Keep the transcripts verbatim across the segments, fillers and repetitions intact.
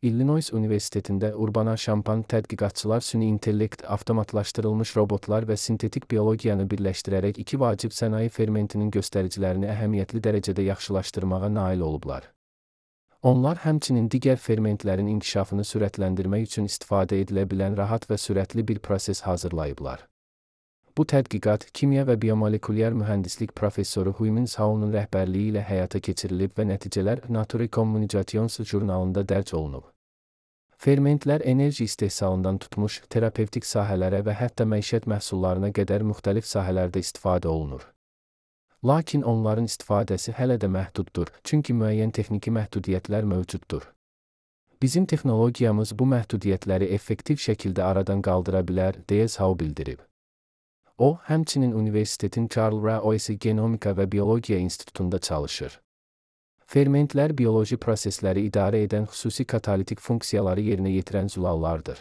Illinois Universitetində Urbana-Champaign tədqiqatçılar süni intellekt, avtomatlaşdırılmış robotlar və sintetik biologiyanı birləşdirərək iki vacib sənaye fermentinin göstəricilərini əhəmiyyətli dərəcədə yaxşılaşdırmağa nail olublar. Onlar həmçinin digər fermentlərin inkişafını sürətləndirmək üçün istifadə edilə bilən rahat və sürətli bir proses hazırlayıblar. Bu tədqiqat kimya və biomolekulyar mühəndislik professoru Huimin Zhao'nun rəhbərliyi ilə həyata keçirilib və nəticələr Nature Communications jurnalında dərc olunub. Fermentlər enerji istehsalından tutmuş, terapevtik sahələrə və hətta məişət məhsullarına qədər müxtəlif sahələrdə istifadə olunur. Lakin onların istifadəsi hələ də məhduddur, çünki müəyyən texniki məhdudiyyətlər mövcuddur. Bizim texnologiyamız bu məhdudiyyətləri effektiv şəkildə aradan qaldıra bilər, deyə Zhao bildirib. O, həmçinin universitetin Charles Royce Genomika və Biologiya İnstitutunda çalışır. Fermentlər bioloji prosesləri idarə edən xüsusi katalitik funksiyaları yerinə yetirən zülallardır.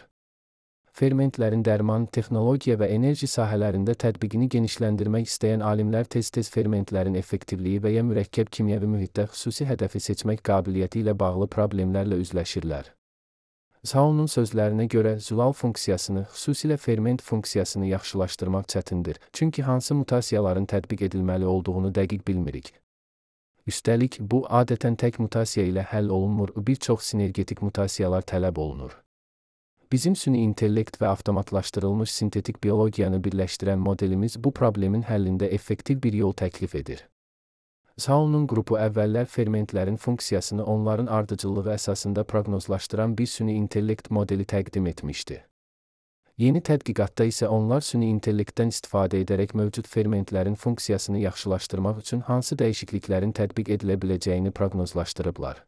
Fermentlərin dərman, texnologiya və enerji sahələrində tətbiqini genişləndirmək istəyən alimlər tez-tez fermentlərin effektivliyi və ya mürəkkəb kimyəvi mühitdə xüsusi hədəfi seçmək qabiliyyəti ilə bağlı problemlərlə üzləşirlər. Zhao'nun sözlərinə görə zülal funksiyasını, xüsusilə ferment funksiyasını yaxşılaşdırmaq çətindir, çünki hansı mutasiyaların tətbiq edilməli olduğunu dəqiq bilmirik. Üstəlik, bu adətən tək mutasiya ilə həll olunmur, bir çox sinergetik mutasiyalar tələb olunur. Bizim süni intellekt və avtomatlaşdırılmış sintetik biologiyanı birləşdirən modelimiz bu problemin həllində effektiv bir yol təklif edir. Zhao'nun qrupu əvvəllər fermentlərin funksiyasını onların ardıcıllığı əsasında proqnozlaşdıran bir süni intellekt modeli təqdim etmişdi. Yeni tədqiqatda isə onlar süni intellektdən istifadə edərək mövcud fermentlərin funksiyasını yaxşılaşdırmaq üçün hansı dəyişikliklərin tətbiq edilə biləcəyini proqnozlaşdırıblar.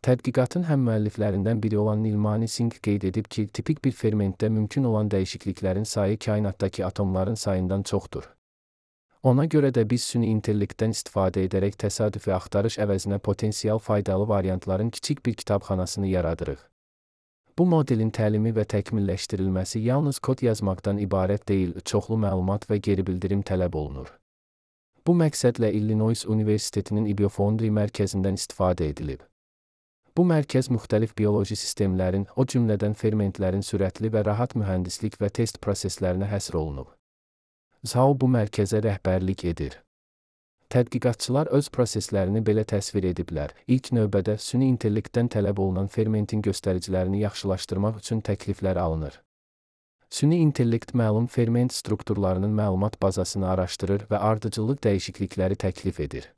Tədqiqatın həmmüəlliflərindən biri olan Nilmani Singh qeyd edib ki, tipik bir fermentdə mümkün olan dəyişikliklərin sayı kainatdakı atomların sayından çoxdur. Ona görə də biz süni intellektdən istifadə edərək təsadüfi axtarış əvəzinə potensial faydalı variantların kiçik bir kitabxanasını yaradırıq. Bu modelin təlimi və təkmilləşdirilməsi yalnız kod yazmaqdan ibarət deyil, çoxlu məlumat və geri bildirim tələb olunur. Bu məqsədlə Illinois Universitetinin Ibiofoundry mərkəzindən istifadə edilib. Bu mərkəz müxtəlif bioloji sistemlərin, o cümlədən fermentlərin sürətli və rahat mühəndislik və test proseslərinə həsr olunub. Zhao bu mərkəzə rəhbərlik edir. Tədqiqatçılar öz proseslərini belə təsvir ediblər. İlk növbədə süni intellektdən tələb olunan fermentin göstəricilərini yaxşılaşdırmaq üçün təkliflər alınır. Süni intellekt məlum ferment strukturlarının məlumat bazasını araşdırır və ardıcıllıq dəyişiklikləri təklif edir.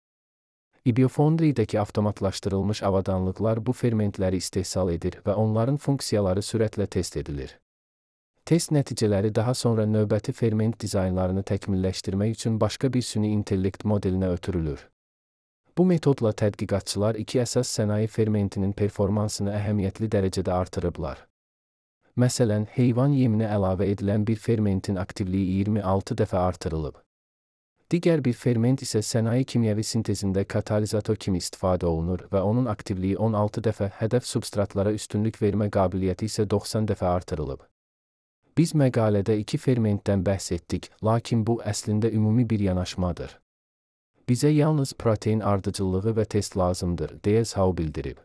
Ibiofoundry-dəki avtomatlaşdırılmış avadanlıqlar bu fermentləri istehsal edir və onların funksiyaları sürətlə test edilir. Test nəticələri daha sonra növbəti ferment dizaynlarını təkmilləşdirmək üçün başqa bir süni intellekt modelinə ötürülür. Bu metodla tədqiqatçılar iki əsas sənaye fermentinin performansını əhəmiyyətli dərəcədə artırıblar. Məsələn, heyvan yeminə əlavə edilən bir fermentin aktivliyi iyirmi altı dəfə artırılıb. Digər bir ferment isə sənaye kimyəvi sintezində katalizator kimi istifadə olunur və onun aktivliyi on altı dəfə, hədəf substratlara üstünlük vermə qabiliyyəti isə doxsan dəfə artırılıb. Biz məqalədə iki fermentdən bəhs etdik, lakin bu əslində ümumi bir yanaşmadır. Bizə yalnız protein ardıcıllığı və test lazımdır, deyə Zhao bildirib.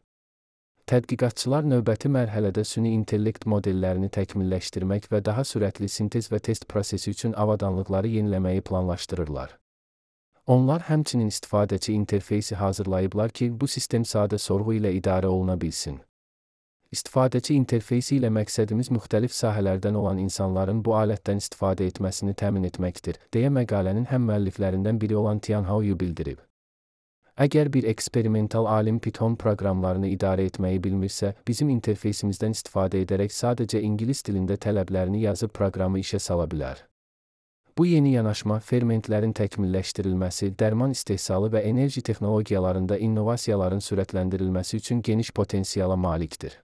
Tədqiqatçılar növbəti mərhələdə süni intellekt modellərini təkmilləşdirmək və daha sürətli sintez və test prosesi üçün avadanlıqları yeniləməyi planlaşdırırlar. Onlar həmçinin istifadəçi interfeysi hazırlayıblar ki, bu sistem sadə sorğu ilə idarə oluna bilsin. İstifadəçi interfeysi ilə məqsədimiz müxtəlif sahələrdən olan insanların bu alətdən istifadə etməsini təmin etməkdir, deyə məqalənin həmmüəlliflərindən biri olan Tianhao Yu bildirib. Əgər bir eksperimental alim Python proqramlarını idarə etməyi bilmirsə, bizim interfeysimizdən istifadə edərək sadəcə ingilis dilində tələblərini yazıb proqramı işə sala bilər. Bu yeni yanaşma fermentlərin təkmilləşdirilməsi, dərman istehsalı və enerji texnologiyalarında innovasiyaların sürətləndirilməsi üçün geniş potensiala malikdir.